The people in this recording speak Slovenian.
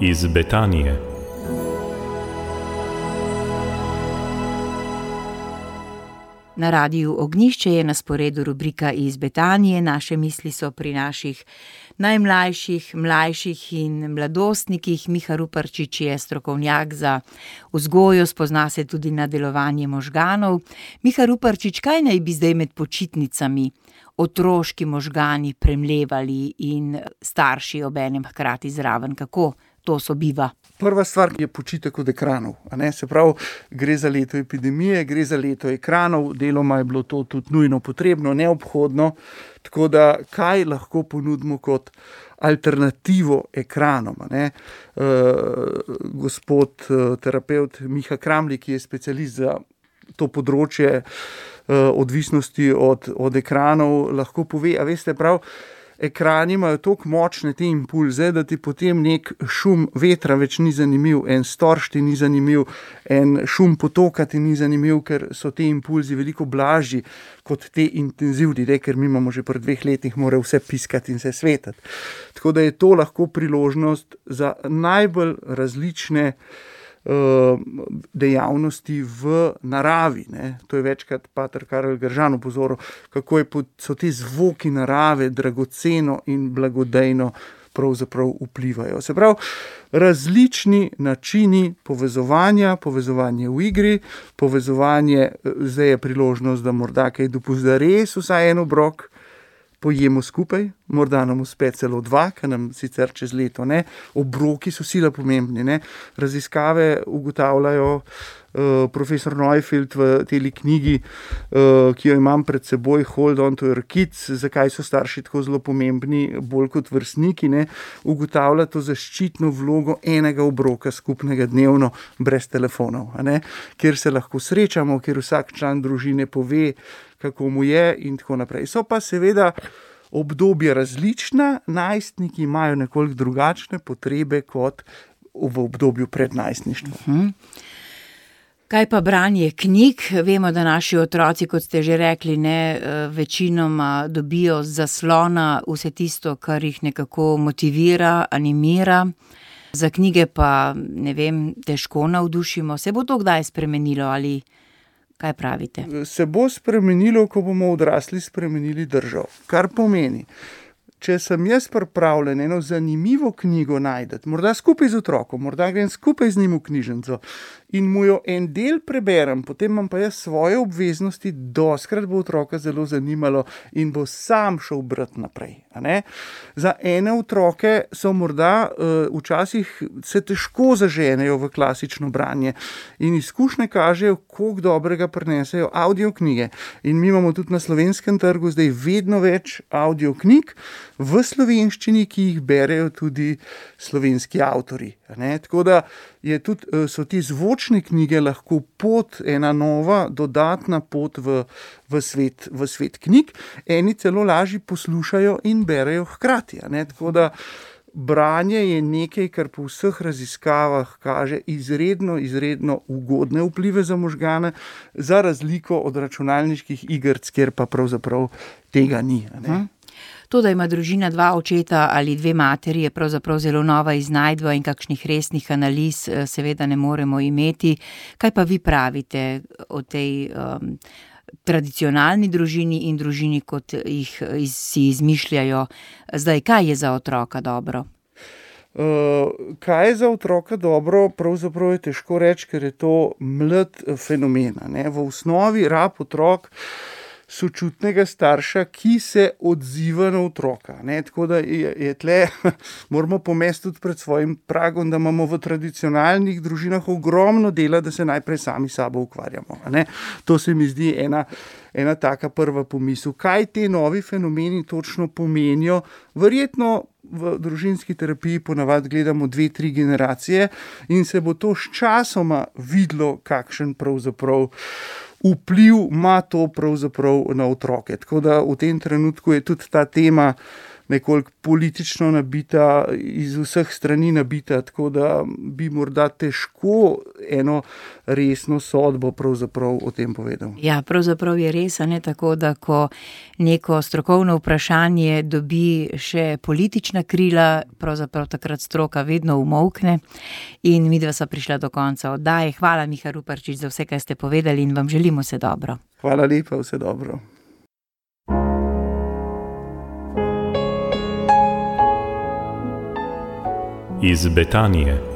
iz Betanije. Na Radiu Ognjišče je na sporedu rubrika Iz Betanije. Naše misli so pri naših najmlajših, mlajših in mladostnikih. Miha Ruparčič je strokovnjak za vzgojo, spozna se tudi na delovanje možganov. Miha Ruparčič, kaj naj bi zdaj med počitnicami otroški možgani premlevali in starši obenem hkrati zraven? Kako to sobiva? Prva stvar je počitek od ekranov. Se pravi, gre za leto epidemije, gre za leto ekranov, deloma je bilo to tudi nujno potrebno, neobhodno. Tako da, kaj lahko ponudimo kot alternativo ekranom? Gospod terapevt Miha Kramli, ki je specialist za to področje odvisnosti od ekranov, lahko pove, a veste prav, ekrani imajo toliko močne te impulze, da ti potem nek šum vetra več ni zanimiv, en storž ti ni zanimiv, en šum potoka ti ni zanimiv, ker so te impulzi veliko blažji kot te intenzivni, ker mi imamo že pri 2 letih mora vse piskati in se svetati. Tako da je to lahko priložnost za najbolj različne dejavnosti v naravi. To je večkrat pater Karel Gržan opozoril, kako so te zvoki narave dragoceno in blagodejno pravzaprav vplivajo. Se pravi, različni načini povezovanje v igri, povezovanje, zdaj je priložnost, da morda kaj dopusti, da res vsaj en obrok pojemo skupaj, morda nam uspe celo 2, kar nam sicer čez leto ne. Obroki so sila pomembni. Raziskave ugotavljajo, profesor Neufeld v teli knjigi, ki jo imam pred seboj, Hold on to your kids, zakaj so starši tako zelo pomembni, bolj kot vrstniki, ugotavlja to zaščitno vlogo enega obroka skupnega dnevno, brez telefonov, kjer se lahko srečamo, kjer vsak član družine pove, kako mu je in tako naprej. So pa seveda obdobje različna, najstniki imajo nekoliko drugačne potrebe kot v obdobju pred najstništvom. Kaj pa branje knjig? Vemo, da naši otroci, kot ste že rekli, večinoma dobijo z zaslona vse tisto, kar jih nekako motivira, animira. Za knjige pa, težko navdušimo. Se bo to kdaj spremenilo ali kaj pravite? Se bo spremenilo, ko bomo odrasli spremenili držo. Kar pomeni, če sem jaz pripravljen eno zanimivo knjigo najdeti, morda skupaj z otrokom, morda grem skupaj z njim v knjižnico in mu jo en del preberem, potem imam pa jaz svoje obveznosti, doskrat bo otroka zelo zanimalo in bo sam šel brati naprej. Za ene otroke so morda včasih se težko zaženejo v klasično branje in izkušnje kažejo, koliko dobrega prinesejo audio knjige. In mi imamo tudi na slovenskem trgu zdaj vedno več audio knjig v slovenščini, ki jih berejo tudi slovenski avtorji. Tako da so ti zvočne knjige lahko pot, ena nova, dodatna pot v svet knjig. Eni celo lažje poslušajo in berejo hkrati. Tako da branje je nekaj, kar po vseh raziskavah kaže izredno ugodne vplive za možgane, za razliko od računalniških igrc, kjer pa pravzaprav tega ni. To, da ima družina 2 očeta ali 2 materi, je pravzaprav zelo nova iznajdba in kakšnih resnih analiz seveda ne moremo imeti. Kaj pa vi pravite o tej tradicionalni družini in družini, kot jih si izmišljajo zdaj? Kaj je za otroka dobro? Kaj je za otroka dobro, pravzaprav je težko reči, ker je to mlad fenomen. V osnovi rab otrok sočutnega starša, ki se odziva na otroka. Tako da je tle, moramo pomesti tudi pred svojim pragom, da imamo v tradicionalnih družinah ogromno dela, da se najprej sami sabo ukvarjamo. To se mi zdi ena taka prva pomisel. Kaj te novi fenomeni točno pomenijo? Verjetno v družinski terapiji ponavadi gledamo 2-3 generacije in se bo to sčasoma videlo, kakšen pravzaprav vpliv ima to pravzaprav na otroke. Tako da v tem trenutku je tudi ta tema nekoliko politično nabita, iz vseh strani nabita, tako da bi morda težko eno resno sodbo pravzaprav o tem povedal. Ja, pravzaprav je res, a ne tako, da ko neko strokovno vprašanje dobi še politična krila, pravzaprav takrat stroka vedno umolkne in midva sva prišla do konca oddaje. Hvala, Miha Ruparčič, za vse, kaj ste povedali in vam želimo vse dobro. Hvala lepa, vse dobro. Iz Betanije.